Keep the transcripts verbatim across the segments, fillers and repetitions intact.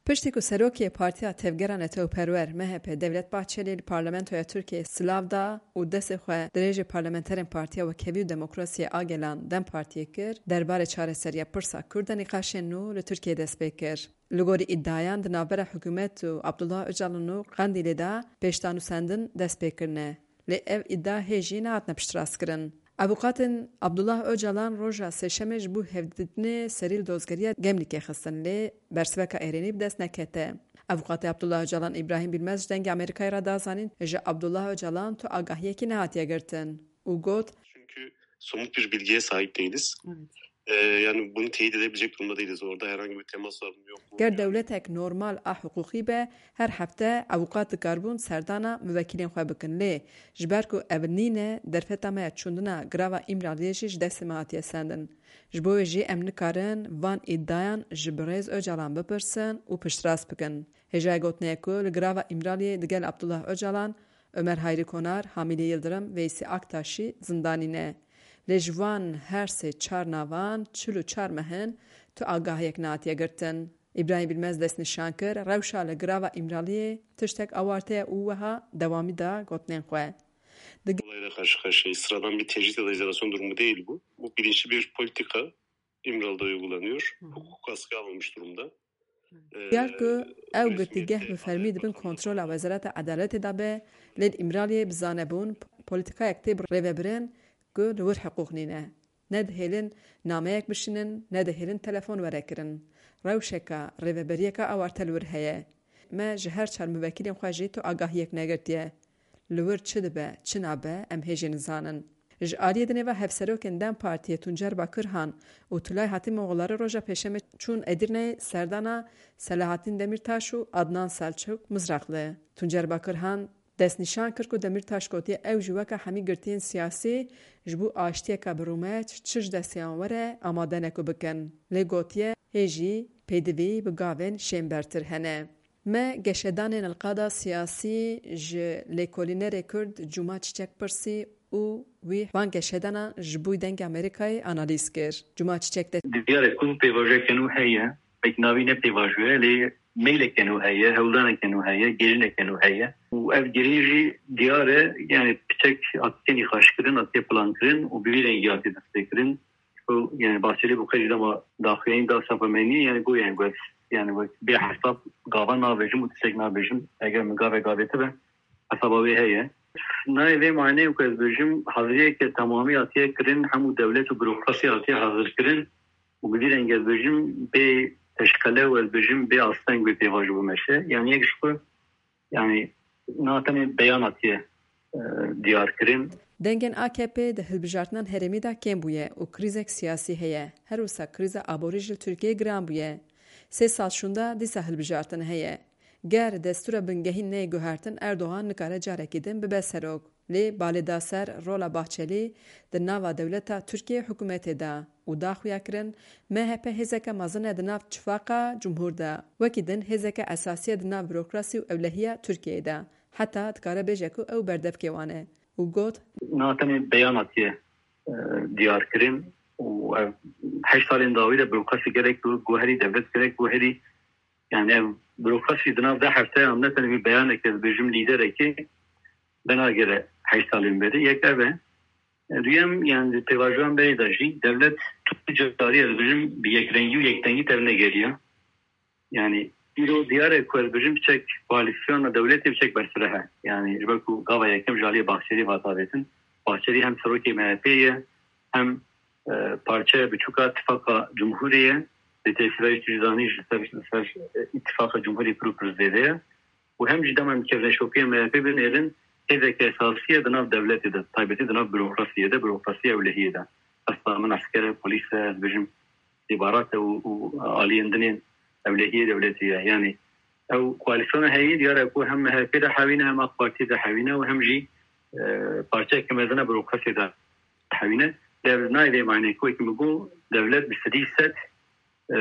Piştî ku serokê Partiya Tevgera Netewperwer, M H P, Devlet Bahçelî li Parlamentoya Tirkiyeyê silav da û destê xwe dirêjê parlamenterên Partiya Wekhevî û Demokrasiyê a Gelan, DEM Partiyê, kir, derbarê çareseriya pirsa Kurd de nîqaşên nû li Tirkiyeyê dest pê kir. Li gorî îdiayan, di navbera hikûmet û Abdullah Ocalan û Qendîlê de pêştanûsendin dest pê kirine. Lê ev îdia hê jî nehatine piştrastkirin. Avûkatên Abdullah Ocalan roja Sêşemê ji bo hevdîtinê serî li dozgeriya Gemlîkê xistin, lê bersiveka êrînî bi dest nekete. Avûkatê Abdullah Ocalan Îbrahîm Bilmez ji Dengê Amerîkayê re da zanîn, ji Abdullah Ocalan tu agahiyekî nehatiye girtin û got, Çünkü somut bir bilgiye sahip değiliz. Evet. Ee, yani bunu teyit edebilecek durumda değiliz. Orada herhangi bir temas var mı yok mu? Ger dewletek normal a hiqûqî be, her hefte avûkat dikaribûn serdana muvekîlên xwe bikin. Lê ji ber ku ev nîne, derfeta me ya çûndina girava Îmraliyê jî ji destê me hatiye sendin. Ji bo wê jî em nikarin van îdiayan ji birêz Ocalan bipirsin û piştrast bikin. Hêjayê gotinê ye ku li girava Îmraliyê digel Abdullah Ocalan, Ömer Hayri Konar, Hamîlî Yildirim, Veysî Aktaş jî zindanî ne. Lê ji van her sê çar navan çil û çar meh in tu agahiyek nehatiye girtin. Îbrahîm Bilmez destnîşan kir, rewşa li girava Îmraliyê tiştek awarte ye û wiha dewamî da gotinên xwe. Olayla karşı karşıyayız. Sıradan bir tecrit ya da izolasyon durumu değil bu. Bu bilinçli bir politika İmralı'da uygulanıyor. Hı hı. Hukuk askıya alınmış durumda. Diyar ku ew girtîgeh bi fermî di bin kontrola Wezareta Edaletê de be, lê li Îmraliyê bi zanebûn polîtikayek tê rêvebirin ku li wir hiqûq nîne. Ne dihêlin nameyek bişînin, ne dihêlin telefon were kirin. Rewşeke rêveberiyeke awarte li wir heye. Me ji her çar muvekîlên xwe jî tu agahiyek negirtiye. Li wir çi dibe, çi nabe, em hê jî nizanin. Ji aliyê dinê ve hevserokên DEM Partiyê Tuncer Bakirhan û Tulay Hatîmoğulları roja Pêşemê çûn Edirneyê serdana Selahattin Demirtaş û Adnan Selçuk Mizrakli. Tuncer Bakirhan destnîşan kir ku Demirtaş gotiye ew jî weke hemî girtiyên siyasî ji bo aştiyeke bi rûmet çi ji destiyan were amade ne ku bikin. Lê gotiye hê jî pêdivî bi gavên şênbertir hene. Me geşedanên li qada siyasî ji lêkolînerê Kurd Cuma Çiçek pirsî û wî van geşedana ji bo Dengê Amerîkayê analîz kir. Cuma Çiçek de. Diyar e ku pêvajoyeke nû heye, belkî navî ne pêvajoye, lê meyleke nû heye, hewldaneke nû heye, gerîneke nû heye. Û ev gerîn jî diyar e, yani piçek hatiye nîqaşkirin, hatiye plankirin û bi vî rengî hatiye destpêkirin. Ku, yani, Bahçelî bi xwe jî dema daxuyanî da sapa me nî, yani, got, yani, got, yani, wek bê hesab gava navêjim û tiştek navêjim. Eger min gavek avêtibe, hesaba wê heye. Nayê vê maneyê ku ez bêjim, haziriyeke temamî hatiye kirin, hemû dewlet û burokrasî hatiye hazirkirin û bi vî rengî ez bêjim, bê teşqele û ez bêjim, bê asteng wê pêvajo bimeşe. Yani, yek ji xwe Yani, na tenê beyan hatiye, e, diyar kirin. Dengên A K P di hilbijartinan herêmî de kêm bûye û krîzek siyasî heye. Her wisa krîza aborî jî li Tirkiyeyê giran bûye. Sê sal şûnda dîsa hilbijartin heye. Ger destûra bingehîn neyê guhertin, Erdogan nikare carekî din bibe serok. Lê balê da ser rola Bahçelî di nava dewleta Tirkiyê hikûmetê de û da xuya kirin, M H P hêzeke mezin e di nav çifaqa cumhûr de. Wekî din hêzeke esasî ye di nav burokrasî û ewlehiya Tirkiyeyê de. Heta dikare bêje ku ew berdevkê wan e û got, Na tenê beyan hatiye, e, diyar kirin û ev heşt salên dawî de burokrasî gelek guherî, dewlet gelek guherî. Yani ev burokrasî di nav deh hefteyan ne tenê wî beyaneke, ez bêjim, lîderekê venagere heşt salên berê. Yek ev e. Duyem, yani, di pêvajoyan berê de jî dewlet tu carî, ez bêjim, bi yekrengî û yekdengî tevnegeriya. Yani, îro diyar e ku, ez bêjim, piçek koalîsyona dewletê piçek bersiveh e. Yani, ji ber ku gava yekem ji aliyê Bahçelî ve avêtin. Bahçelî hem serokê M H P'ê ye, hem, e, parçeya biçûka Tifaqa Cumhurê ye. Lê têsîra jî tu jî zanî ji ser, ser, e, Îtifaqa Cumhurê pir û pir zêde ye. Û hem jî dema em kevneşopiya M H P binêrin, hêzeke esasî ye di nav dewletê de, taybetî di nav burokrasiyê de, burokrasiya ewlehiyê de. Hesta min esker e, polîs e, ez bêjim, îstîxbarat e û, û aliyên din ên ewlehiyê dewletê ye. Yanî ew koalîsyona heyî diyar e ku hem M H P de hewî ne, hem A K Partî de hewî ne û hem jî, e, parçeyeke mezin e burokrasiyê de hewî ne. Lê ev nayê vê maneyê ku wekî min got, dewlet bi sedî sed e,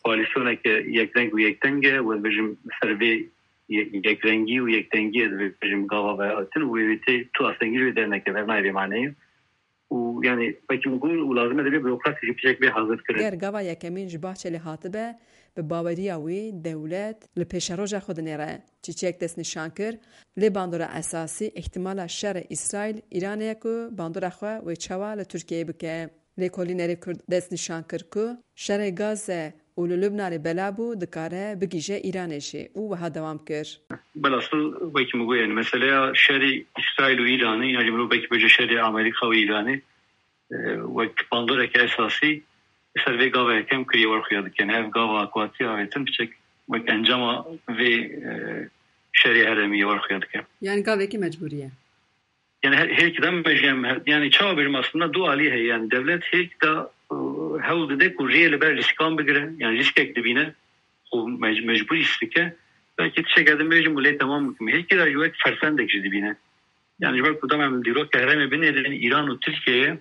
koalîsyoneke yekreng û yekdeng e, ez bêjim ser vê ye-, yekrengî û yekdengiyê ez bêjim gava vehatin û wê wê tê tu astengî jî wê dernekeve, ev nayê vê maneyê. Û yani wekî min got û lazim e divê burokrasî jî piçek bê hazir kirin. Ger gava yekemîn ji Bahçelî hatibe, Bi baweriya wî dewlet li pêşeroja xwe dinêre. Çîçek destnîşan kir, lê bandora esasî îhtimala şerê Îsraîl-Îranê ye ku bandora xwe wê çawa li Tirkiyeyê bike. Lêkolînerê Kurd destnîşan kir ku şerê Gaze û li Lubnanê bela bû, dikare bigihîje Îranê jî û wiha dewam kir. Belhasil wekî min got, yani meseleya şerê Îsraîl û Îranê, yani mirov belkî bêje şerê Amerîka û Îranê, e, wek bandoreke esasî li ser vê gava yekem kiriye wer xuya dike. Ev gava ku hatiye avêtin piçek wek encama vê, e, şerê herêmî ye wer xuya dike. Yani gavekî mecbûrî ye. Yani her, her iki de mecbur, yani, her, yani çawa bêjim aslında du alî heye. Yani devlet her iki de, e, hewl dide ku rêyê li ber rîskan bigire. Yani rîskek dibîne. Û mec-, mecbûrî rîsk dike. Belkî tişteke din bêjim û lê temam bikim. Her iki de ji wek fersendek jî dibîne. Yani ji ber ku dema em dîrokê herêmê binêrin Îran û Tirkiyeyê,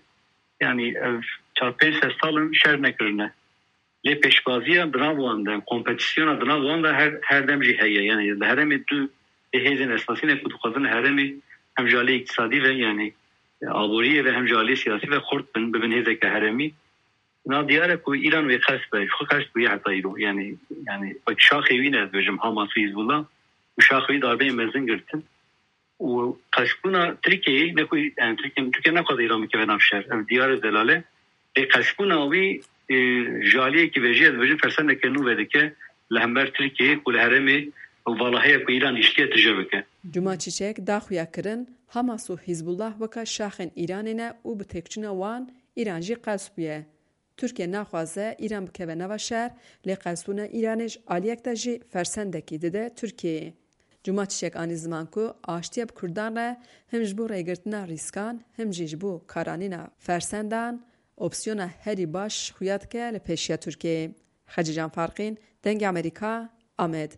yani ev çar pênc sed sal in şer nekirine. Lê pêşbaziya di nav wan de, kompetîsyona di nav wan de her, her dem jî heye. Yani li herêmê du hêzên esasî ne ku dixwazin herêmê hem ji alî îktisadî ve, yani aboriyê ve hem ji alî siyasî ve xurt bin, bibin hêzeke herêmî. Na diyar e ku Îran wê qels be, ji xwe qels bûye heta îro. Yani, yani wek şaxê wî ne dibêjim Hamas û Hizbullah û şaxê wî darbeyên mezin girtin. Û qelsbûna Tirkiyeyê, ne ku, yani, Tirkiye, Tirkiye naxwaze Îran bikeve nav şer. Ev diyar e delale. Lê qelsbûna wî, e, ji aliyekî vejî, ez dibêjim fersendeke nû vedike li hember Tirkiyeyê ku li herêmê vala heye ku Îran îştiye tije bike. Cuma Çiçek da xuyakirin, Hamas û Hizbullah weka şaxên Îranê ne û bi têkçûna wan Îran jî qels bûye. Tirkiye naxwaze Îran bikeve nava şer, lê qelsbûna Îranê ji aliyek de jî fersendekî dide Tirkiyeyê. Cuma Çiçek anî ziman ku aştiya bi Kurdan re him ji bo rêgirtina rîskan, him jî ji bo karanîna fersendan opsiyona herî baş xuya dike li pêşiya Tirkiyeyê. Xecîcan Farqîn, Dengê Amerîka, Amed.